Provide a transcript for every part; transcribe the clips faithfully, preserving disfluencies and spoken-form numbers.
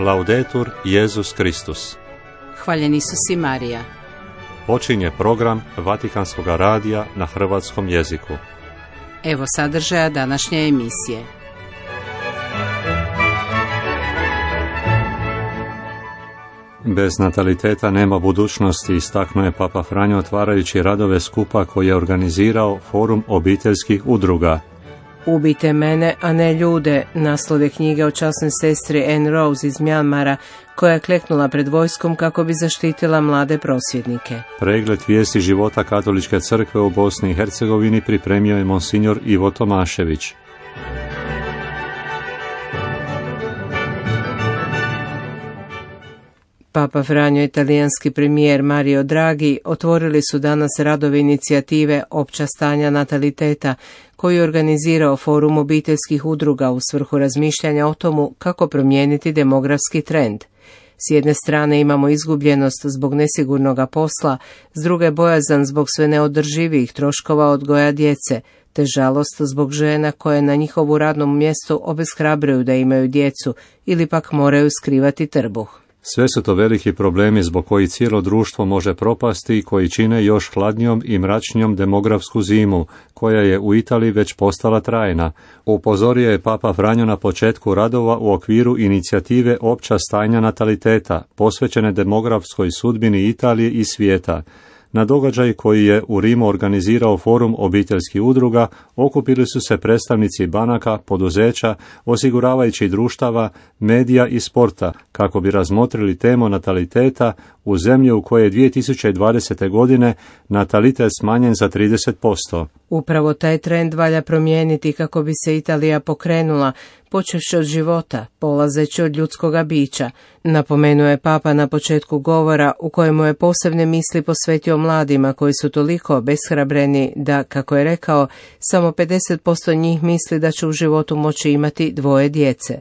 Laudetur Jesus Kristus. Hvaljen Isus i Marija. Počinje program Vatikanskog radija na hrvatskom jeziku. Evo sadržaja današnje emisije. Bez nataliteta nema budućnosti, istaknuo je Papa Franjo otvarajući radove skupa koji je organizirao Forum obiteljskih udruga. Ubijte mene, a ne ljude, naslov je knjige o časnoj sestri Anne Rose iz Mjanmara, koja je kleknula pred vojskom kako bi zaštitila mlade prosvjednike. Pregled vijesti života Katoličke crkve u Bosni i Hercegovini pripremio je monsignor Ivo Tomašević. Papa Franjo i italijanski premijer Mario Draghi otvorili su danas radove inicijative Opća stanja nataliteta, koju je organizirao Forum obiteljskih udruga u svrhu razmišljanja o tomu kako promijeniti demografski trend. S jedne strane imamo izgubljenost zbog nesigurnog posla, s druge bojazan zbog sve neodrživijih troškova odgoja djece, te žalost zbog žena koje na njihovu radnom mjestu obeshrabruju da imaju djecu ili pak moraju skrivati trbuh. Sve su to veliki problemi zbog koji cijelo društvo može propasti i koji čine još hladnijom i mračnijom demografsku zimu, koja je u Italiji već postala trajna. Upozorio je Papa Franjo na početku radova u okviru inicijative Opća stanja nataliteta, posvećene demografskoj sudbini Italije i svijeta. Na događaj koji je u Rimu organizirao Forum obiteljskih udruga okupili su se predstavnici banaka, poduzeća, osiguravajućih društava, medija i sporta kako bi razmotrili temu nataliteta u zemlji u kojoj je dvije tisuće dvadesete. godine natalitet smanjen za trideset posto. Upravo taj trend valja promijeniti kako bi se Italija pokrenula, počevši od života, polazeći od ljudskoga bića, napomenuo je Papa na početku govora u kojemu je posebne misli posvetio mladima koji su toliko obeshrabreni da, kako je rekao, samo pedeset posto njih misli da će u životu moći imati dvoje djece.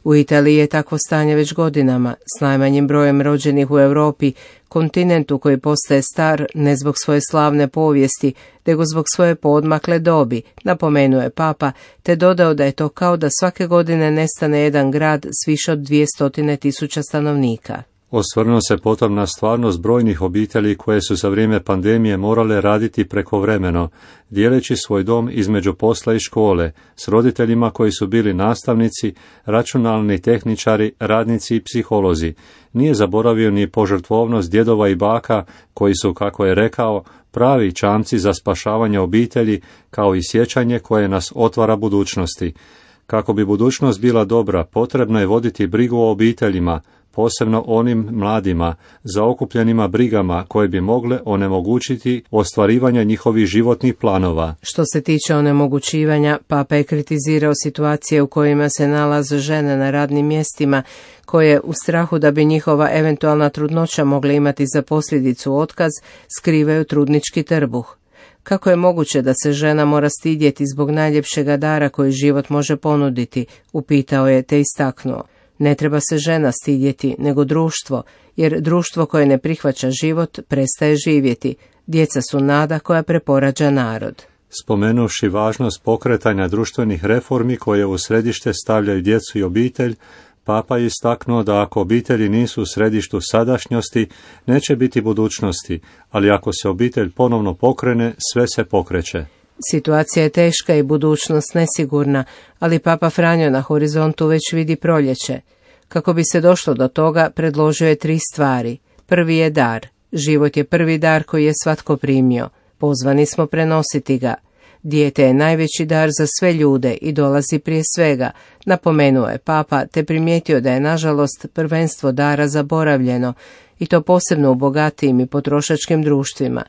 U Italiji je takvo stanje već godinama, s najmanjim brojem rođenih u Europi, kontinentu koji postaje star ne zbog svoje slavne povijesti, nego zbog svoje poodmakle dobi, napomenuo je Papa, te dodao da je to kao da svake godine nestane jedan grad s više od dvjesto tisuća stanovnika. Osvrnuo se potom na stvarnost brojnih obitelji koje su za vrijeme pandemije morale raditi prekovremeno, dijeleći svoj dom između posla i škole, s roditeljima koji su bili nastavnici, računalni tehničari, radnici i psiholozi. Nije zaboravio ni požrtvovnost djedova i baka koji su, kako je rekao, pravi čamci za spašavanje obitelji, kao i sjećanje koje nas otvara budućnosti. Kako bi budućnost bila dobra, potrebno je voditi brigu o obiteljima, posebno onim mladima, zaokupljenima brigama koje bi mogle onemogućiti ostvarivanje njihovih životnih planova. Što se tiče onemogućivanja, Papa je kritizirao situacije u kojima se nalaze žene na radnim mjestima, koje u strahu da bi njihova eventualna trudnoća mogla imati za posljedicu otkaz, skrivaju trudnički trbuh. Kako je moguće da se žena mora stidjeti zbog najljepšega dara koji život može ponuditi, upitao je te istaknuo. Ne treba se žena stidjeti, nego društvo, jer društvo koje ne prihvaća život prestaje živjeti. Djeca su nada koja preporađa narod. Spomenuvši važnost pokretanja društvenih reformi koje u središte stavljaju djecu i obitelj, Papa je istaknuo da ako obitelji nisu u središtu sadašnjosti, neće biti budućnosti, ali ako se obitelj ponovno pokrene, sve se pokreće. Situacija je teška i budućnost nesigurna, ali Papa Franjo na horizontu već vidi proljeće. Kako bi se došlo do toga, predložio je tri stvari. Prvi je dar. Život je prvi dar koji je svatko primio. Pozvani smo prenositi ga. Dijete je najveći dar za sve ljude i dolazi prije svega, napomenuo je Papa, te primijetio da je nažalost prvenstvo dara zaboravljeno, i to posebno u bogatijim i potrošačkim društvima.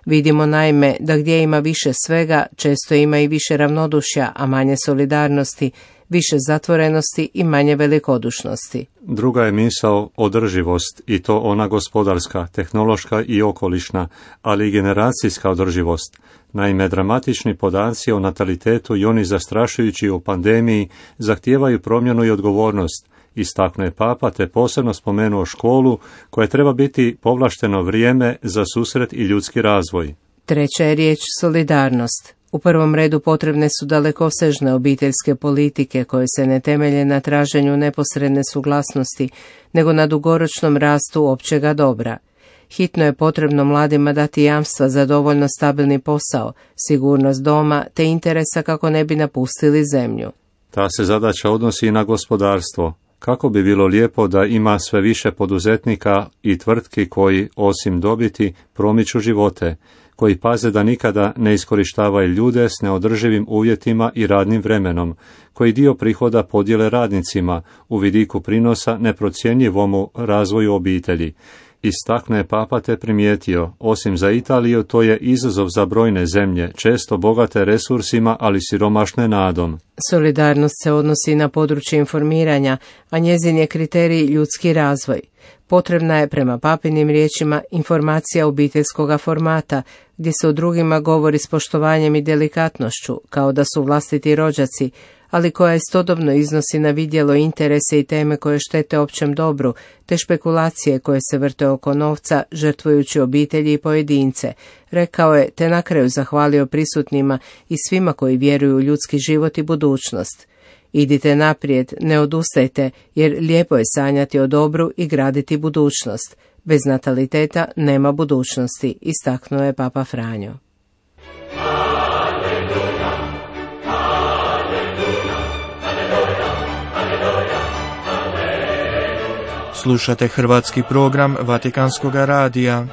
Vidimo naime da gdje ima više svega, često ima i više ravnodušja, a manje solidarnosti, više zatvorenosti i manje velikodušnosti. Druga je misao održivost, i to ona gospodarska, tehnološka i okolišna, ali i generacijska održivost. Naime, dramatični podaci o natalitetu i oni zastrašujući u pandemiji zahtijevaju promjenu i odgovornost, istaknuo je Papa, te posebno spomenuo školu koja treba biti povlašteno vrijeme za susret i ljudski razvoj. Treća je riječ solidarnost. U prvom redu potrebne su dalekosežne obiteljske politike koje se ne temelje na traženju neposredne suglasnosti, nego na dugoročnom rastu općega dobra. Hitno je potrebno mladima dati jamstva za dovoljno stabilni posao, sigurnost doma te interesa kako ne bi napustili zemlju. Ta se zadaća odnosi i na gospodarstvo. Kako bi bilo lijepo da ima sve više poduzetnika i tvrtki koji, osim dobiti, promiču živote, koji paze da nikada ne iskorištavaju ljude s neodrživim uvjetima i radnim vremenom, koji dio prihoda podijele radnicima u vidiku prinosa neprocjenjivomu razvoju obitelji. Istakne je Papa te primijetio, osim za Italiju, to je izazov za brojne zemlje, često bogate resursima, ali siromašne nadom. Solidarnost se odnosi na područje informiranja, a njezin je kriterij ljudski razvoj. Potrebna je, prema papinim riječima, informacija obiteljskoga formata, gdje se o drugima govori s poštovanjem i delikatnošću, kao da su vlastiti rođaci, ali koja istodobno iznosi na vidjelo interese i teme koje štete općem dobru, te špekulacije koje se vrte oko novca, žrtvujući obitelji i pojedince, rekao je, te na kraju zahvalio prisutnima i svima koji vjeruju u ljudski život i budućnost. Idite naprijed, ne odustajte, jer lijepo je sanjati o dobru i graditi budućnost. Bez nataliteta nema budućnosti, istaknuo je Papa Franjo. Slušate hrvatski program Vatikanskog radija.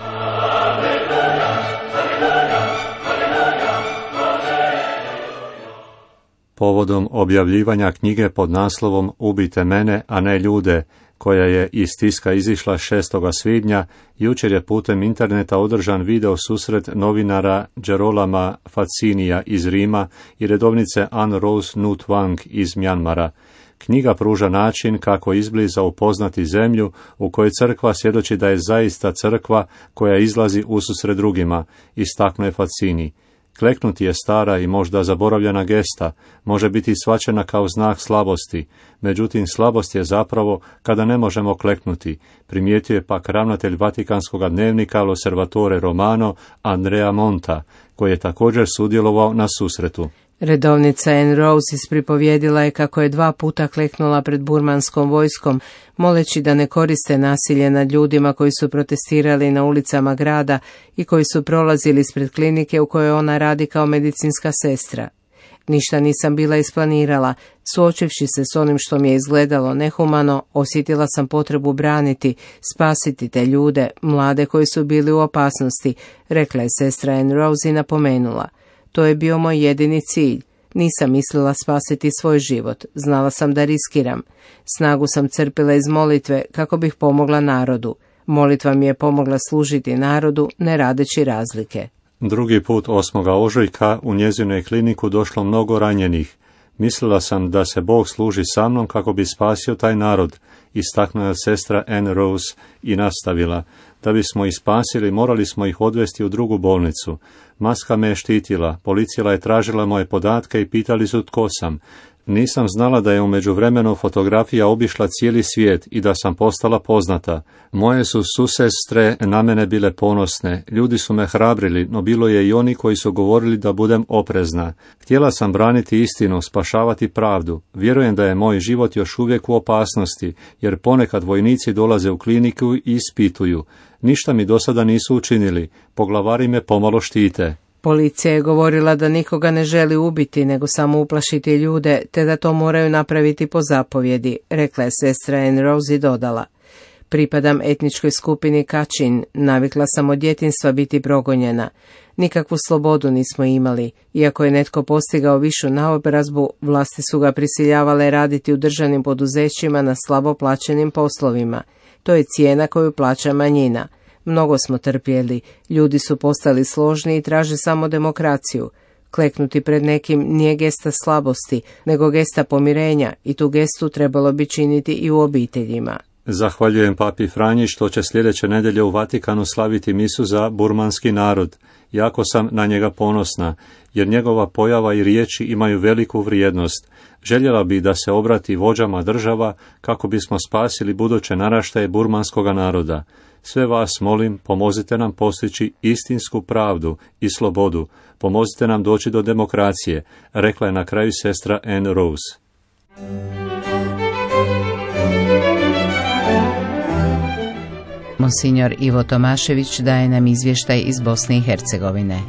Povodom objavljivanja knjige pod naslovom Ubijte mene, a ne ljude, koja je iz tiska izišla šestog svibnja, jučer je putem interneta održan video susret novinara Gerolama Faccinija iz Rima i redovnice Anne Rose Nut Wang iz Mjanmara. Knjiga pruža način kako izbliza upoznati zemlju u kojoj crkva svjedoči da je zaista crkva koja izlazi ususret drugima, istaknuo je Faccini. Kleknuti je stara i možda zaboravljena gesta, može biti shvaćena kao znak slabosti, međutim slabost je zapravo kada ne možemo kleknuti, primijetio je pak ravnatelj Vatikanskog dnevnika L'Osservatore Romano Andrea Monta, koji je također sudjelovao na susretu. Redovnica Anne Rose ispripovjedila je kako je dva puta kleknula pred burmanskom vojskom, moleći da ne koriste nasilje nad ljudima koji su protestirali na ulicama grada i koji su prolazili ispred klinike u kojoj ona radi kao medicinska sestra. Ništa nisam bila isplanirala, suočivši se s onim što mi je izgledalo nehumano, osjetila sam potrebu braniti, spasiti te ljude, mlade koji su bili u opasnosti, rekla je sestra Anne Rose i napomenula. To je bio moj jedini cilj. Nisam mislila spasiti svoj život, znala sam da riskiram. Snagu sam crpila iz molitve kako bih pomogla narodu. Molitva mi je pomogla služiti narodu, ne radeći razlike. Drugi put osmog ožujka u njezinoj kliniku došlo mnogo ranjenih. Mislila sam da se Bog služi sa mnom kako bi spasio taj narod, istaknula sestra Anne Rose i nastavila. Da bismo ih spasili, morali smo ih odvesti u drugu bolnicu. Maska me je štitila, policija je tražila moje podatke i pitali su tko sam. Nisam znala da je u međuvremenu fotografija obišla cijeli svijet i da sam postala poznata. Moje su susestre na mene bile ponosne, ljudi su me hrabrili, no bilo je i oni koji su govorili da budem oprezna. Htjela sam braniti istinu, spašavati pravdu. Vjerujem da je moj život još uvijek u opasnosti, jer ponekad vojnici dolaze u kliniku i ispituju. Ništa mi do sada nisu učinili, poglavari me pomalo štite. Policija je govorila da nikoga ne želi ubiti, nego samo uplašiti ljude, te da to moraju napraviti po zapovjedi, rekla je sestra Anne Rose i dodala. Pripadam etničkoj skupini Kačin, navikla sam od djetinjstva biti progonjena. Nikakvu slobodu nismo imali. Iako je netko postigao višu naobrazbu, vlasti su ga prisiljavale raditi u državnim poduzećima na slabo plaćenim poslovima. To je cijena koju plaća manjina. Mnogo smo trpjeli, ljudi su postali složni i traže samo demokraciju. Kleknuti pred nekim nije gesta slabosti, nego gesta pomirenja i tu gestu trebalo bi činiti i u obiteljima. Zahvaljujem papi Franji što će sljedeće nedjelje u Vatikanu slaviti misu za burmanski narod. Jako sam na njega ponosna, jer njegova pojava i riječi imaju veliku vrijednost. Željela bi da se obrati vođama država kako bismo spasili buduće naraštaje burmanskoga naroda. Sve vas molim, pomozite nam postići istinsku pravdu i slobodu, pomozite nam doći do demokracije, rekla je na kraju sestra Anne Rose. Monsignor Ivo Tomašević daje nam izvještaj iz Bosne i Hercegovine.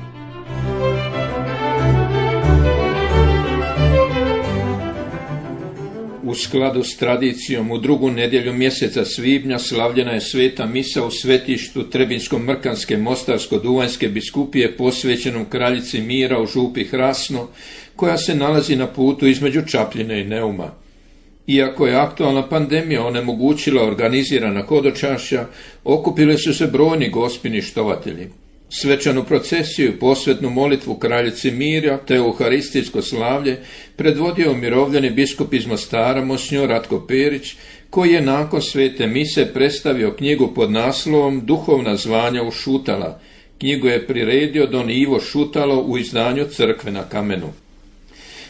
U skladu s tradicijom, u drugu nedjelju mjeseca svibnja slavljena je sveta misa u svetištu Trebinsko-Mrkanske Mostarsko-Duvanjske biskupije posvećenom kraljici mira u župi Hrasno, koja se nalazi na putu između Čapljine i Neuma. Iako je aktualna pandemija onemogućila organizirana hodočašća, okupili su se brojni gospini štovatelji. Svečanu procesiju i posvetnu molitvu kraljici mira te euharistijsko slavlje predvodio umirovljeni biskup iz Mostara monsignor Ratko Perić, koji je nakon svete mise predstavio knjigu pod naslovom Duhovna zvanja u Šutala. Knjigu je priredio don Ivo Šutalo u izdanju Crkve na kamenu.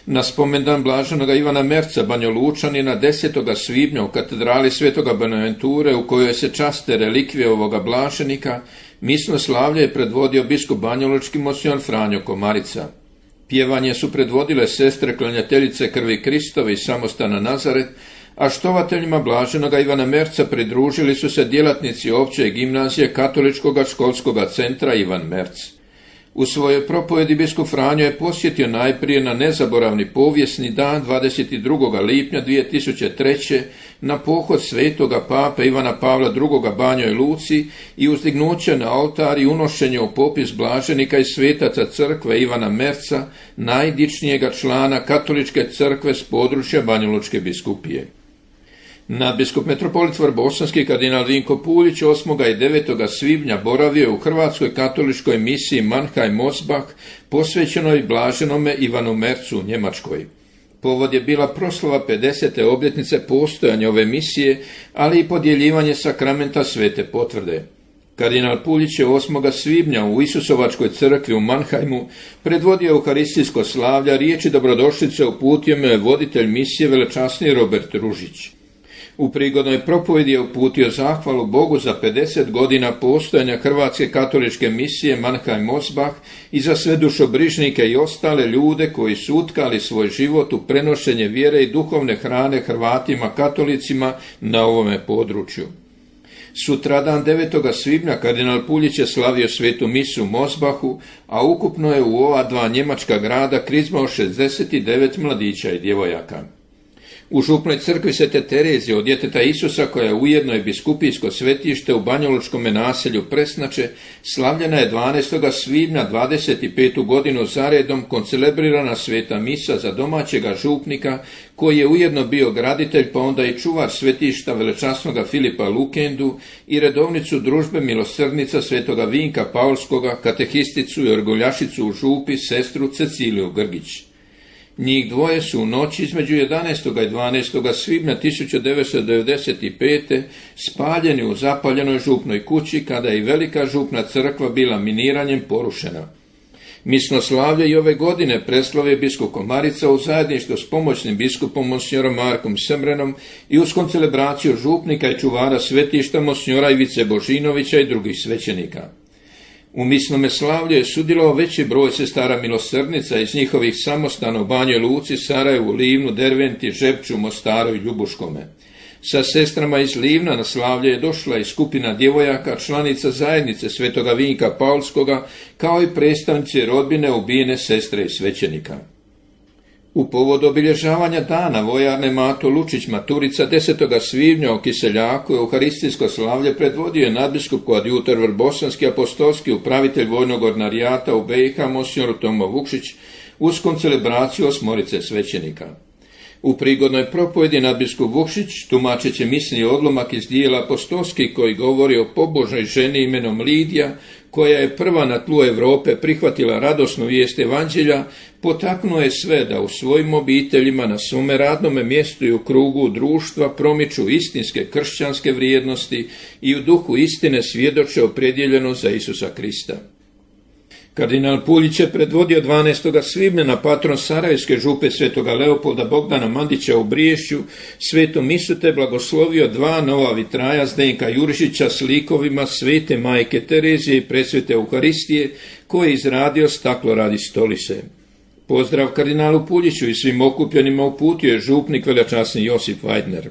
Na spomendan blaženoga Ivana Merca Banjolučanina desetog svibnja u katedrali Svetoga Bonaventure, u kojoj se časte relikvije ovoga blaženika, misno slavlje je predvodio biskup banjolučki monsignor Franjo Komarica. Pjevanje su predvodile sestre klanjateljice krvi Kristove iz samostana Nazaret, a štovateljima blaženoga Ivana Merca pridružili su se djelatnici opće gimnazije Katoličkog školskog centra Ivan Merc. U svojoj propovjedi biskup Franjo je posjetio najprije na nezaboravni povijesni dan dvadeset drugog lipnja dvije tisuće treće. na pohod svetoga pape Ivana Pavla drugoga Banjoj Luci i uzdignuće na oltar i unošenje u popis blaženika i svetaca crkve Ivana Merca, najdičnijega člana katoličke crkve s područja Banjalučke biskupije. Nadbiskup metropolit Vrbosanski kardinal Vinko Puljić osmog i devetog svibnja boravio je u Hrvatskoj katoličkoj misiji Mannheim Mosbach, posvećenoj blaženome Ivanu Mercu u Njemačkoj. Povod je bila proslava pedesete obljetnice postojanja ove misije, ali i podjeljivanje sakramenta svete potvrde. Kardinal Puljić je osmog svibnja u Isusovačkoj crkvi u Mannheimu predvodio euharistijsko slavlja, riječi dobrodošlice uputio mu je voditelj misije velečasni Robert Ružić. U prigodnoj propovjedi je uputio zahvalu Bogu za pedeset godina postojanja Hrvatske katoličke misije Mannheim Mosbach i za sve dušobrižnike i ostale ljude koji su utkali svoj život u prenošenje vjere i duhovne hrane Hrvatima katolicima na ovome području. Sutradan devetog svibnja kardinal Puljić je slavio svetu misu u Mosbachu, a ukupno je u ova dva njemačka grada krizmao šezdeset devet mladića i djevojaka. U župnoj crkvi Svete Terezije od djeteta Isusa, koja je ujedno i biskupijsko svetište u banjalučkom naselju Presnače, slavljena je dvanaestog svibnja dvadeset petu godinu zaredom koncelebrirana sveta misa za domaćega župnika, koji je ujedno bio graditelj pa onda i čuvar svetišta velečasnoga Filipa Lukendu i redovnicu družbe milosrdnica svetoga Vinka Paulskoga, katehisticu i orguljašicu u župi sestru Ceciliju Grgić. Njih dvoje su u noći između jedanaestog i dvanaestog svibnja tisuću devetsto devedeset pete. spaljeni u zapaljenoj župnoj kući, kada je i velika župna crkva bila miniranjem porušena. Misno slavlje i ove godine preslavio biskup Komarica u zajedništvu s pomoćnim biskupom monsignorom Markom Semrenom i uz koncelebraciju župnika i čuvara svetišta monsinjora Ivice Božinovića i drugih svećenika. U misnome slavlju je sudjelovao veći broj sestara milosrdnica iz njihovih samostana u Banjoj Luci, Sarajevu, Livnu, Derventi, Žepču, Mostaru i Ljubuškome. Sa sestrama iz Livna na slavlje je došla i skupina djevojaka, članica zajednice svetoga Vinka Paulskoga, kao i predstavnici rodbine ubijene sestre i svećenika. U povodu obilježavanja dana vojarne Mato Lučić Maturica desetog svibnja u Kiseljaku euharistijsko slavlje predvodio je nadbiskup koadjutor Vrbosanski apostolski upravitelj vojnog ordinarijata u B i H monsignor Tomo Vukšić uz koncelebraciju osmorice svećenika. U prigodnoj propovjedi nadbiskup Vukšić, tumačeći misli odlomak iz dijela apostolski koji govori o pobožnoj ženi imenom Lidija, koja je prva na tlu Europe prihvatila radosnu vijest evanđelja, potaknuo je sve da u svojim obiteljima, na svome radnome mjestu i u krugu društva promiču istinske kršćanske vrijednosti i u duhu istine svjedoče opredjeljeno za Isusa Krista. Kardinal Puljić je predvodio dvanaestog svibnja na patron Sarajevske župe svetoga Leopolda Bogdana Mandića u Briješću svetu misu te blagoslovio dva nova vitraja Zdenka Jurišića s likovima svete majke Terezije i presvete Euharistije koje je izradio Staklo radi stolice. Pozdrav kardinalu Puljiću i svim okupljenima uputio je župnik velečasni Josip Weidner.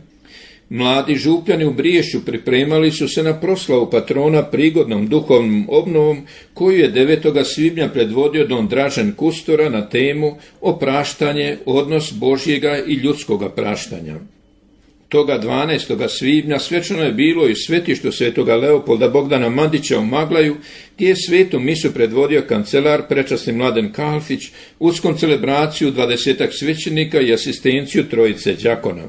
Mladi župljani u Briješću pripremali su se na proslavu patrona prigodnom duhovnom obnovom koju je devetog svibnja predvodio don Dražen Kustora na temu Opraštanje, odnos Božjega i ljudskoga praštanja. Toga dvanaestog svibnja svečano je bilo i svetištu svetoga Leopolda Bogdana Mandića u Maglaju, gdje je svetu misu predvodio kancelar prečasni Mladen Kalfić uz koncelebraciju dvadesetak svećenika i asistenciju trojice đakona.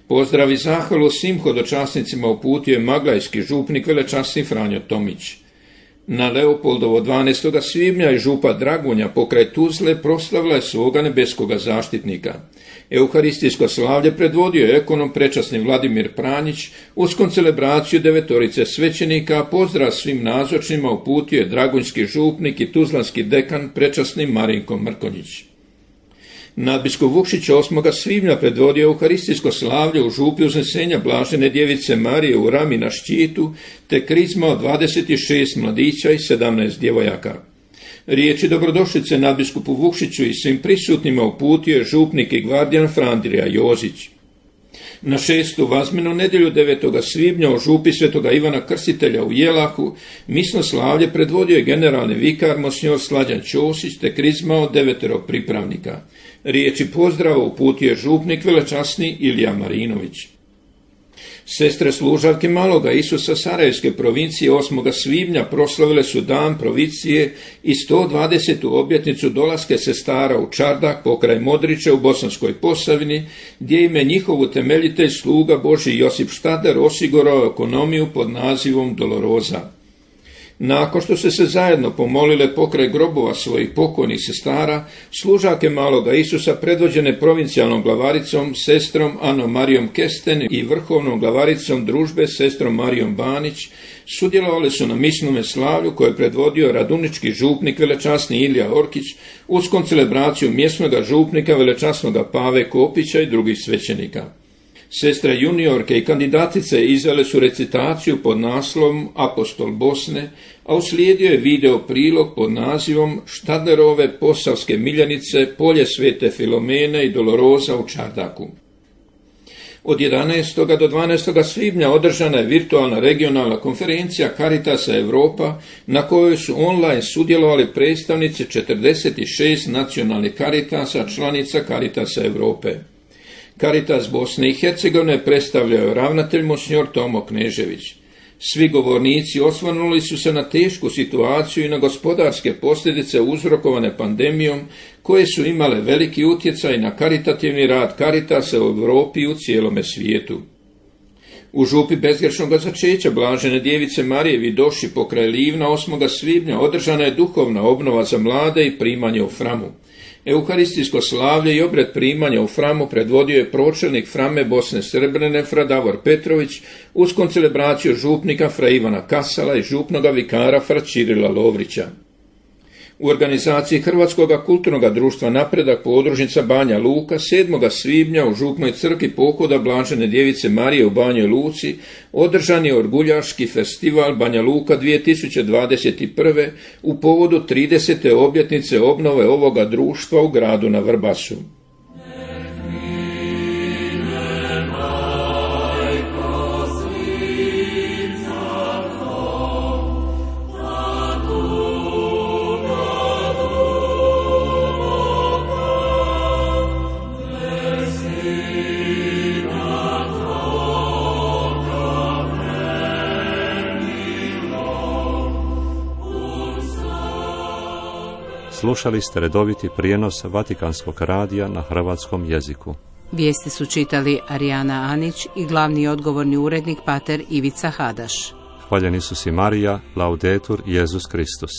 Pozdrav i zahvalu svim hodočasnicima uputio je maglajski župnik velečasni Franjo Tomić. Na Leopoldovo dvanaestog svibnja i župa Dragunja pokraj Tuzle proslavila je svoga nebeskoga zaštitnika. Euharistijsko slavlje predvodio je ekonom prečasni Vladimir Pranjić uz koncelebraciju devetorice svećenika, a pozdrav svim nazočnima uputio je dragunjski župnik i tuzlanski dekan prečasni Marinko Mrkonjić. Nadbiskup Vukšić osmog svibnja predvodio euharistijsko slavlje u župi Uznesenja Blažene djevice Marije u Rami na Ščitu, te krizma od dvadeset šest mladića i sedamnaest djevojaka. Riječi dobrodošlice nadbiskupu Vukšiću i svim prisutnima uputio je župnik i gvardijan Frandrija Jozić. Na šestu vazmenu nedjelju devetog svibnja u župi svetoga Ivana Krstitelja u Jelahu misno slavlje predvodio je generalni vikar monsignor Slađan Ćosić te krizma od devetero pripravnika. Riječi pozdrava uputio je župnik velečasni Ilija Marinović. Sestre služavke Maloga Isusa Sarajevske provincije osmog svibnja proslavile su dan provincije i sto dvadesetu obljetnicu dolaske sestara u Čardak pokraj Modrića u Bosanskoj Posavini, gdje im je njihov utemeljitelj sluga Božji Josip Štader osigurao ekonomiju pod nazivom Doloroza. Nakon što su se zajedno pomolile pokraj grobova svojih pokojnih sestara, služake Maloga Isusa predvođene provincijalnom glavaricom sestrom Anom Marijom Kesten i vrhovnom glavaricom družbe sestrom Marijom Banić sudjelovali su na misnome slavlju koje je predvodio radunički župnik velečasni Ilija Orkić uz koncelebraciju mjesnoga župnika velečasnoga Pave Kopića i drugih svećenika. Sestre juniorke i kandidatice izvele su recitaciju pod naslovom Apostol Bosne, a uslijedio je video prilog pod nazivom Štadlerove posavske miljenice, polje svete Filomene i Doloroza u Čardaku. Od jedanaestog do dvanaestog svibnja održana je virtualna regionalna konferencija Caritasa Europa, na kojoj su online sudjelovali predstavnici četrdeset šest nacionalnih Caritasa, članica Caritasa Europe. Caritas Bosne i Hercegovine predstavljao je ravnatelj monsignor Tomo Knežević. Svi govornici osvrnuli su se na tešku situaciju i na gospodarske posljedice uzrokovane pandemijom, koje su imale veliki utjecaj na karitativni rad Caritasa u Europi i u cijelome svijetu. U župi bezgrešnog začeća Blažene djevice Marije Vidoši pokraj Livna osmog svibnja održana je duhovna obnova za mlade i primanje u Framu. Euharistijsko slavlje i obred primanja u Framu predvodio je pročelnik Frame Bosne Srebrene fra Davor Petrović uz koncelebraciju župnika fra Ivana Kasala i župnoga vikara fra Čirila Lovrića. U organizaciji Hrvatskog kulturnog društva Napredak podružnica Banja Luka sedmog svibnja u župnoj crkvi pohoda Blažene djevice Marije u Banjoj Luci održan je orguljaški festival Banja Luka dvije tisuće dvadeset prve u povodu tridesete obljetnice obnove ovoga društva u gradu na Vrbasu. Slušali ste redoviti prijenos Vatikanskog radija na hrvatskom jeziku. Vijesti su čitali Arijana Anić i glavni odgovorni urednik pater Ivica Hadaš. Hvaljeni su si Marija, Laudetur, Jezus Kristus.